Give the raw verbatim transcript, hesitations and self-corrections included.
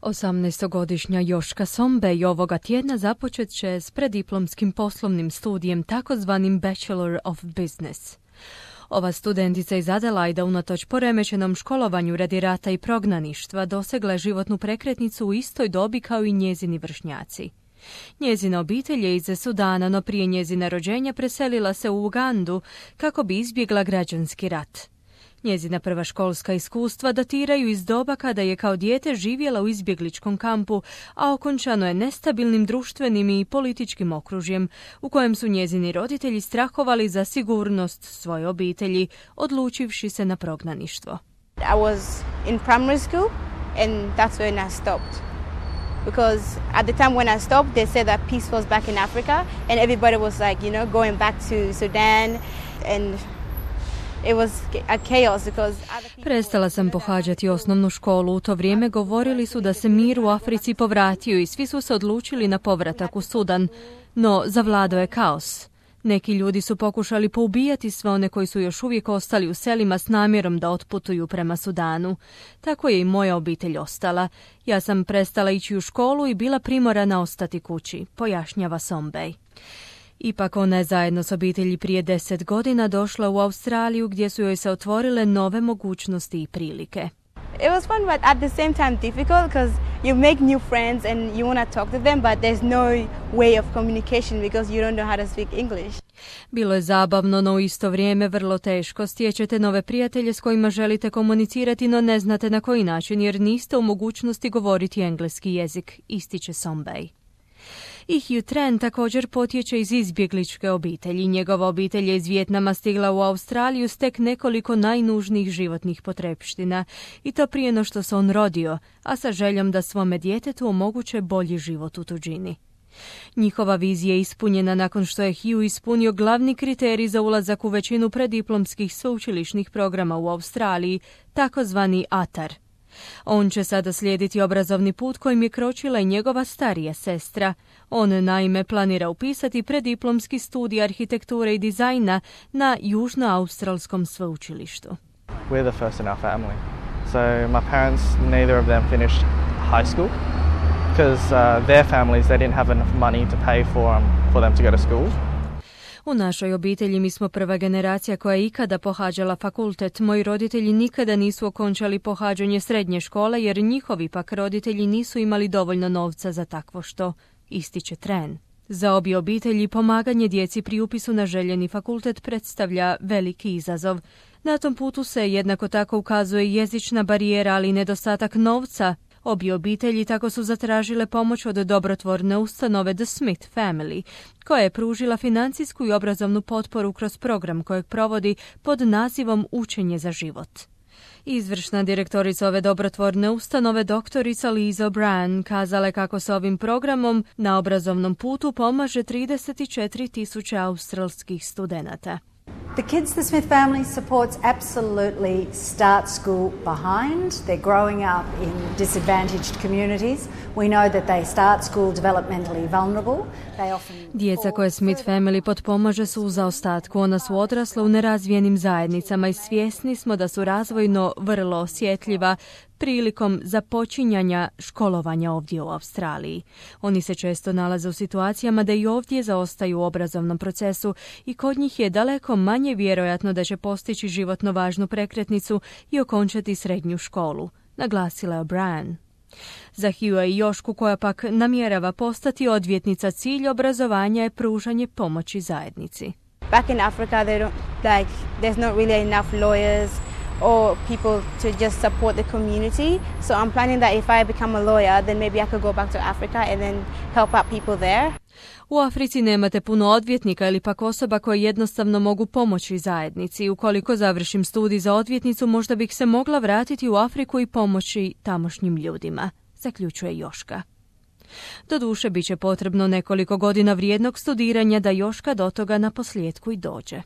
osamnaestogodišnja Joška Sombej ovoga tjedna započet će s preddiplomskim poslovnim studijem, takozvanim Bachelor of Business. Ova studentica iz Adelaida unatoč poremećenom školovanju radi rata i prognaništva dosegla je životnu prekretnicu u istoj dobi kao i njezini vršnjaci. Njezina obitelj je iz Sudana, no prije njezina rođenja preselila se u Ugandu kako bi izbjegla građanski rat. Njezina prva školska iskustva datiraju iz doba kada je kao dijete živjela u izbjegličkom kampu, a okončano je nestabilnim društvenim i političkim okružjem u kojem su njezini roditelji strahovali za sigurnost svoje obitelji, odlučivši se na prognaništvo. I was in primary school and that's when I stopped. Because at the time when I stopped, they said that peace was back in Africa and everybody was like, you know, going back to Sudan and it was a chaos because Prestala sam pohađati osnovnu školu. U to vrijeme govorili su da se mir u Africi povratio i svi su se odlučili na povratak u Sudan, no zavladao je kaos. Neki ljudi su pokušali poubijati sve one koji su još uvijek ostali u selima s namjerom da otputuju prema Sudanu. Tako je i moja obitelj ostala. Ja sam prestala ići u školu i bila primorana ostati kući, pojašnjava Sombej. Ipak ona je zajedno s obitelji prije deset godina došla u Australiju gdje su joj se otvorile nove mogućnosti i prilike. It was fun but at the same time difficult because you make new friends and you want to talk to them but there's no way of communication because you don't know how to speak English. Bilo je zabavno, no u isto vrijeme vrlo teško. Stječete nove prijatelje s kojima želite komunicirati, no ne znate na koji način jer niste u mogućnosti govoriti engleski jezik, ističe Sombej. I Hugh Tran također potječe iz izbjegličke obitelji. Njegova obitelj je iz Vijetnama stigla u Australiju s tek nekoliko najnužnijih životnih potrepština. I to prije no što se on rodio, a sa željom da svome djetetu omoguće bolji život u tuđini. Njihova vizija je ispunjena nakon što je Hugh ispunio glavni kriterij za ulazak u većinu preddiplomskih sveučilišnih programa u Australiji, takozvani A T A R. On će sada slijediti obrazovni put kojim je kročila i njegova starija sestra. On naime planira upisati preddiplomski studij arhitekture i dizajna na Južnoaustralskom sveučilištu. We're the first in our family. So my parents, neither of them finished high school because uh, their families, they didn't have enough money to pay for, um, for them to go to school. U našoj obitelji mi smo prva generacija koja je ikada pohađala fakultet. Moji roditelji nikada nisu okončali pohađanje srednje škole jer njihovi pak roditelji nisu imali dovoljno novca za takvo što, ističe Tran. Za obje obitelji pomaganje djeci pri upisu na željeni fakultet predstavlja veliki izazov. Na tom putu se jednako tako ukazuje jezična barijera, ali i nedostatak novca. Obje obitelji tako su zatražile pomoć od dobrotvorne ustanove The Smith Family, koja je pružila financijsku i obrazovnu potporu kroz program kojeg provodi pod nazivom Učenje za život. Izvršna direktorica ove dobrotvorne ustanove, doktorica Liza O'Brien, kazala je kako se ovim programom na obrazovnom putu pomaže trideset četiri tisuće australskih studenata. The Kids the Smith Family supports absolutely start school behind. They're growing up in disadvantaged communities. We know that they start school developmentally vulnerable. They often Djeca koje Smith Family potpomaže su u zaostatku. Ona su odrasla u nerazvijenim zajednicama i svjesni smo da su razvojno vrlo osjetljiva prilikom započinjanja školovanja ovdje u Australiji. Oni se često nalaze u situacijama da i ovdje zaostaju u obrazovnom procesu i kod njih je daleko manje vjerojatno da će postići životno važnu prekretnicu i okončati srednju školu, naglasila je O'Brien. Za Hugha i Jošku, koja pak namjerava postati odvjetnica, cilj obrazovanja je pružanje pomoći zajednici. Back in Africa they don't like there's not really enough lawyers or people to just support the community. So I'm planning that if I become a lawyer, then maybe I could go back to Africa and then help out people there. U Africi nemate puno odvjetnika ili pak osoba koje jednostavno mogu pomoći zajednici. Ukoliko završim studij za odvjetnicu, možda bih se mogla vratiti u Afriku i pomoći tamošnjim ljudima, zaključuje Joška. Doduše, bit će potrebno nekoliko godina vrijednog studiranja da Joška do toga na posljedku i dođe.